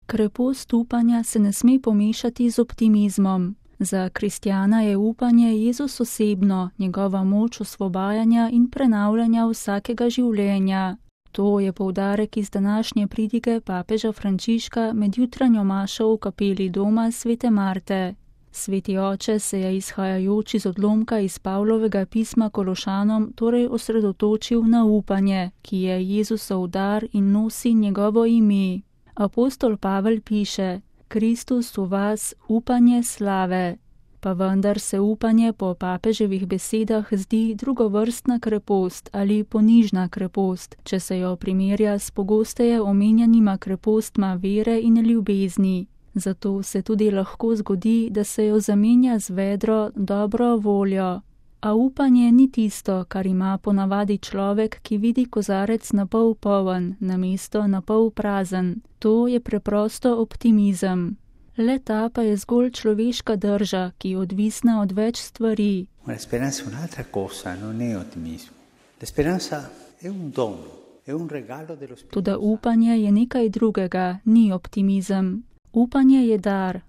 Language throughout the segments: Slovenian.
Krepost upanja se ne sme pomešati z optimizmom. Za kristjana je upanje Jezus osebno, njegova moč osvobajanja in prenavljanja vsakega življenja. To je poudarek iz današnje pridige papeža Frančiška med jutranjo mašo v kapeli doma Svete Marte. Sveti oče se je izhajajoč iz odlomka iz Pavlovega pisma Kološanom torej osredotočil na upanje, ki je Jezusov dar in nosi njegovo ime. Apostol Pavel piše: Kristus v vas, upanje slave. Pa vendar se upanje po papeževih besedah zdi drugovrstna krepost ali ponižna krepost, če se jo primerja s pogosteje omenjanima krepostma vere in ljubezni. Zato se tudi lahko zgodi, da se jo zamenja z vedro dobro voljo. A upanje ni tisto, kar ima ponavadi človek, ki vidi kozarec napol poln, namesto napol prazen. To je preprosto optimizem. Le ta pa je zgolj človeška drža, ki je odvisna od več stvari. La speranza è un'altra cosa, non è ottimismo. La speranza è un dono, è un regalo dello Spirito. Toda upanje je nekaj drugega, ni optimizem. Upanje je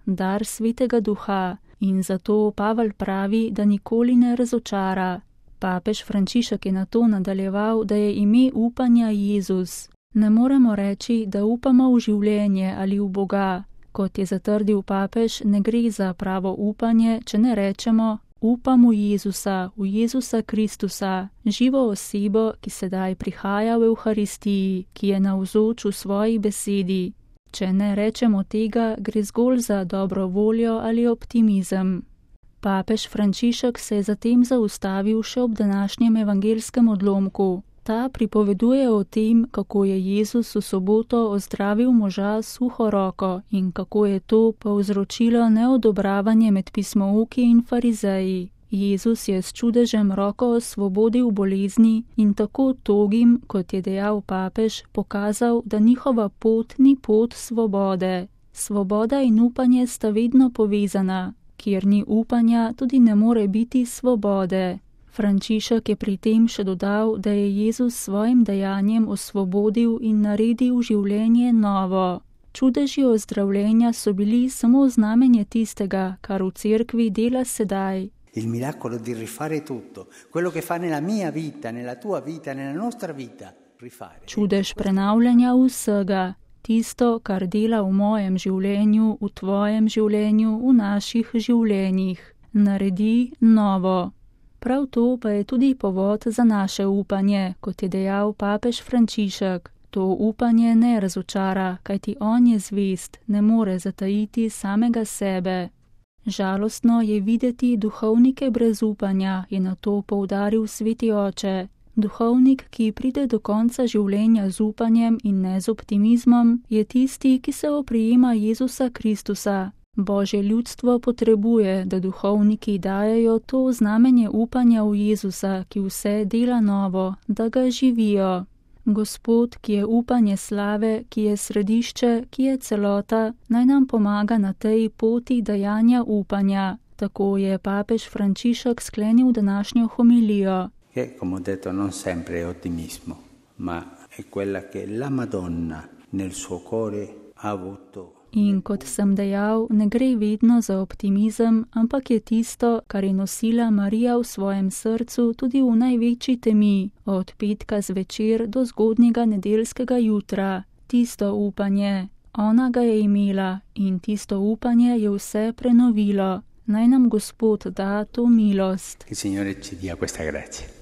dar Svetega Duha in zato Pavel pravi, da nikoli ne razočara. Papež Frančišek je na to nadaljeval, da je ime upanja Jezus. Ne moremo reči, da upamo v življenje ali v Boga. Kot je zatrdil papež, ne gre za pravo upanje, če ne rečemo: upam v Jezusa Kristusa, živo osebo, ki sedaj prihaja v Evharistiji, ki je navzoč v svoji besedi. Če ne rečemo tega, gre zgolj za dobro voljo ali optimizem. Papež Frančišek se je zatem zaustavil še ob današnjem evangelskem odlomku. Ta pripoveduje o tem, kako je Jezus v soboto ozdravil moža s suho roko in kako je to povzročilo neodobravanje med pismouki in farizeji. Jezus je s čudežem roko osvobodil bolezni in tako togim, kot je dejal papež, pokazal, da njihova pot ni pot svobode. Svoboda in upanje sta vedno povezana. Kjer ni upanja, tudi ne more biti svobode. Frančišek je pri tem še dodal, da je Jezus svojim dejanjem osvobodil in naredil življenje novo. Čudeži ozdravljenja so bili samo znamenje tistega, kar v cerkvi dela sedaj. Il miracolo di rifare tutto, quello che fa nella mia vita, nella tua vita, nella nostra vita, rifare. Čudež prenavljanja vsega, tisto, kar dela v mojem življenju, v tvojem življenju, v naših življenjih. Naredi novo. Prav to pa je tudi povod za naše upanje, kot je dejal papež Frančišek. To upanje ne razočara, kajti on je zvest, ne more zatajiti samega sebe. Žalostno je videti duhovnike brez upanja, je na to poudaril Sveti oče. Duhovnik, ki pride do konca življenja z upanjem in ne z optimizmom, je tisti, ki se oprijema Jezusa Kristusa. Božje ljudstvo potrebuje, da duhovniki dajejo to znamenje upanja v Jezusa, ki vse dela novo, da ga živijo. Gospod, ki je upanje slave, ki je središče, ki je celota, naj nam pomaga na tej poti dajanja upanja. Tako je papež Frančišek sklenil današnjo homilijo. Che, come ho detto, non sempre è ottimismo, ma è quella che la Madonna nel suo cuore ha avuto. In kot sem dejal, ne gre vedno za optimizem, ampak je tisto, kar je nosila Marija v svojem srcu tudi v največji temi, od petka zvečer do zgodnjega nedeljskega jutra. Tisto upanje, ona ga je imela in tisto upanje je vse prenovilo. Naj nam Gospod da to milost. Il Signore ci dia questa grazia.